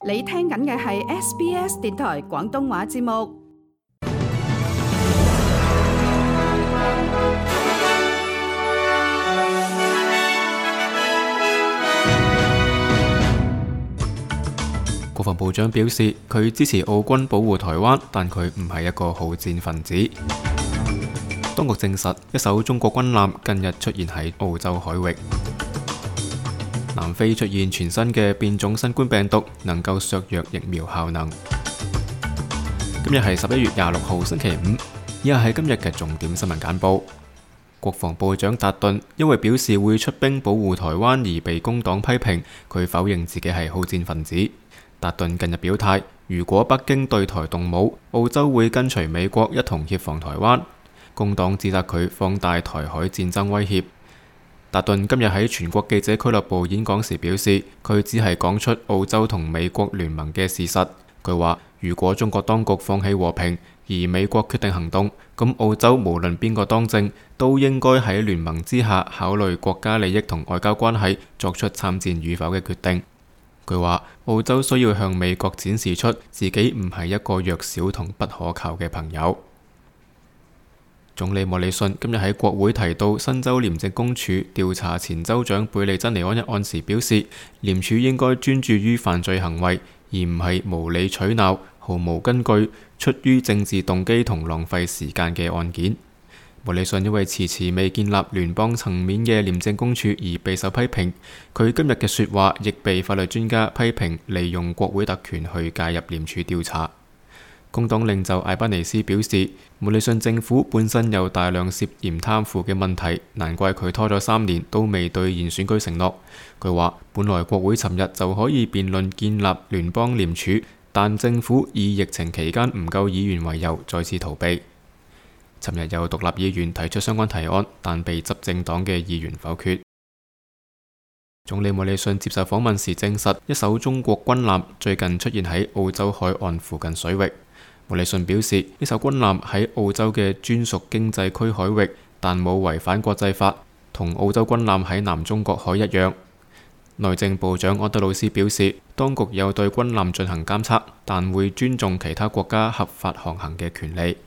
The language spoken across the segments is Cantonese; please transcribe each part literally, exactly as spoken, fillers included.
你聽緊嘅係 S B S 電台廣東話節目。國防部長表示，佢支持澳軍保護台灣，但佢唔係一個好戰分子。當局證實，一艘中國軍艦近日出現喺澳洲海域。南非出現全新嘅變種新冠病毒，能夠削弱疫苗效能。今日係十一月廿六號星期五，以下係今日嘅重點新聞簡報。國防部長達頓因為表示會出兵保護台灣而被工黨批評，佢否認自己係好戰分子。達頓近日表態，如果北京對台動武，澳洲會跟隨美國一同協防台灣。工黨指責佢放大台海戰爭威脅。達頓今日喺全國記者俱樂部演講時表示，佢只係講出澳洲同美國聯盟嘅事實。佢話，如果中國當局放棄和平，而美國決定行動，咁澳洲無論邊個當政，都應該喺聯盟之下考慮國家利益同外交關係，作出參戰與否嘅決定。佢話，澳洲需要向美國展示出自己唔係一個弱小同不可靠嘅朋友。總理莫里遜今日喺國會提到新州廉政公署調查前州長貝利珍尼安一案時表示，廉署應該專注於犯罪行為，而唔係無理取鬧、毫無根據、出於政治動機同浪費時間嘅案件。莫里遜因為遲遲未建立聯邦層面嘅廉政公署而備受批評，佢今日嘅說話亦被法律專家批評利用國會特權去介入廉署調查。工黨領袖艾巴尼斯表示，莫里遜政府本身有大量涉嫌貪腐嘅問題，難怪佢拖咗三年都未兌現選舉承諾。佢話，本來國會尋日就可以辯論建立聯邦廉署，但政府以疫情期間唔夠議員為由，再次逃避。尋日有獨立議員提出相關提案，但被執政黨嘅議員否決。總理莫里遜接受訪問時證實，一艘中國軍艦最近出現喺澳洲海岸附近水域。莫里遜表示，呢艘軍艦喺澳洲嘅專屬經濟區海域，但冇違反國際法，同澳洲軍艦喺南中國海一樣。內政部長安德魯斯表示，當局有對軍艦進行監測，但會尊重其他國家合法航行嘅權利。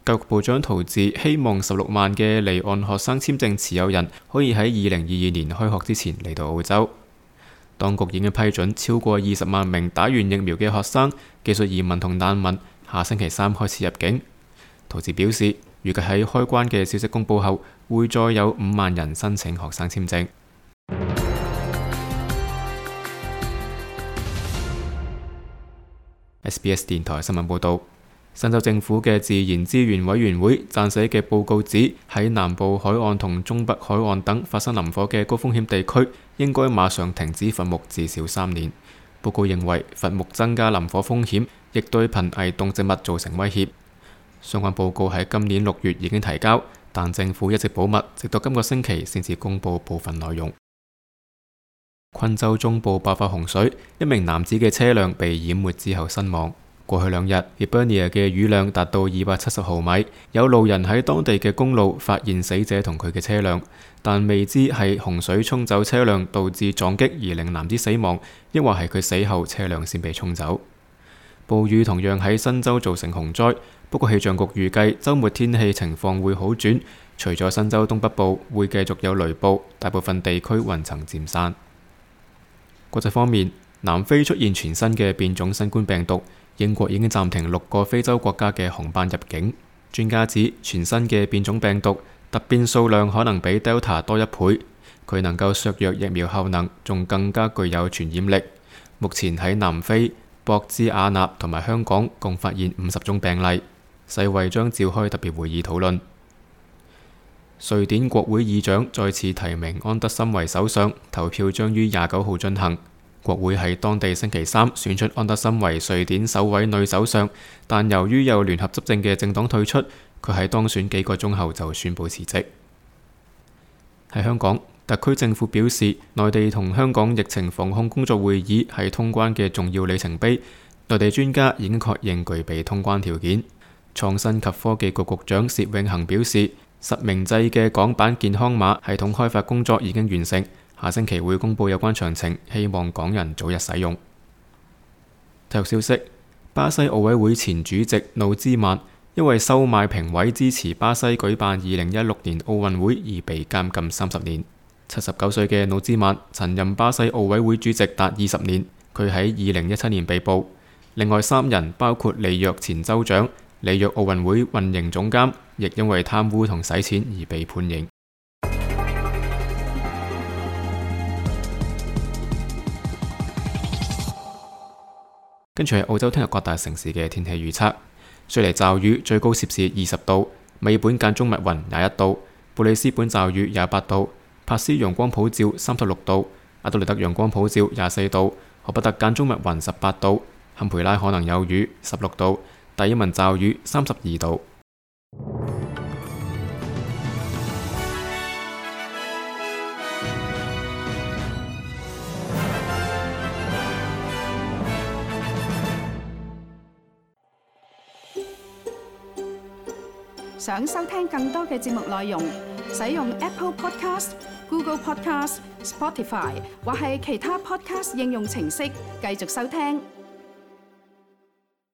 教育部長陶治希望十六萬嘅離岸學生簽證持有人可以喺二零二二年開學之前嚟到澳洲。當局已經批准超過二十萬名打完疫苗嘅學生、技術移民同難民下星期三開始入境。陶治表示，預計喺開關嘅消息公佈後，會再有五萬人申請學生簽證。S B S 電台新聞報導。新州政府嘅自然資源委員會撰寫嘅報告指，喺南部海岸同中北海岸等發生林火嘅高風險地區，應該馬上停止伐木至少三年。報告認為，伐木增加林火風險，亦對瀕危動植物造成威脅。相關報告喺今年六月已經提交，但政府一直保密，直到今個星期先至公佈部分內容。昆州中部爆發洪水，一名男子嘅車輛被淹沒之後身亡。過去兩日 Hibernia 嘅雨量達到二百七十毫米，有路人喺當地嘅公路發現死者同佢嘅車輛，但未知係洪水沖走車輛導致撞擊而令男子死亡，抑或係佢死後車輛先被沖走。暴雨同樣喺新州造成洪災，不過氣象局預計週末天氣情況會好轉，除咗新州東北部會繼續有雷暴，大部分地區雲層漸散。國際方面，南非出現全新嘅變種新冠病毒。英國已經暫停六個非洲國家嘅航班入境。專家指，全新嘅變種病毒突變數量可能比 Delta 多一倍，佢能夠削弱疫苗效能，仲更加具有傳染力。目前喺南非、博茲瓦納同埋香港共發現五十宗病例，世衛將召開特別會議討論。瑞典國會議長再次提名安德森為首相，投票將於廿九號進行。國會喺當地星期三選出安德森為瑞典首位女首相，但由於有聯合執政嘅政黨退出，佢喺當選幾個鐘後就宣布辭職。喺香港，特區政府表示，內地同香港疫情防控工作會議係通關嘅重要里程碑，內地專家已經確認具備通關條件。創新及科技局局長薛永恒表示，實名制嘅港版健康碼系統開發工作已經完成。下星期會公佈有關詳情，希望港人早日使用。體育消息：巴西奧委會前主席努茲曼因為收買評委支持巴西舉辦二零一六年奧運會而被監禁三十年。七十九歲嘅努茲曼曾任巴西奧委會主席達二十年，佢喺二零一七年被捕。另外三人包括里約前州長、里約奧運會運營總監，亦因為貪污同洗錢而被判刑。跟住係澳洲聽日各大城市嘅天氣預測：雪梨驟雨，最高攝氏二十度；美本間中密雲廿一度；布里斯本驟雨廿八度；珀斯陽光普照三十六度；阿德萊德陽光普照廿四度；荷伯特間中密雲十八度；坎培拉可能有雨十六度；達爾文驟雨三十二度。想收聽更多嘅節目內容，使用 Apple Podcast、Google Podcast、Spotify 或係其他 Podcast 應用程式繼續收聽。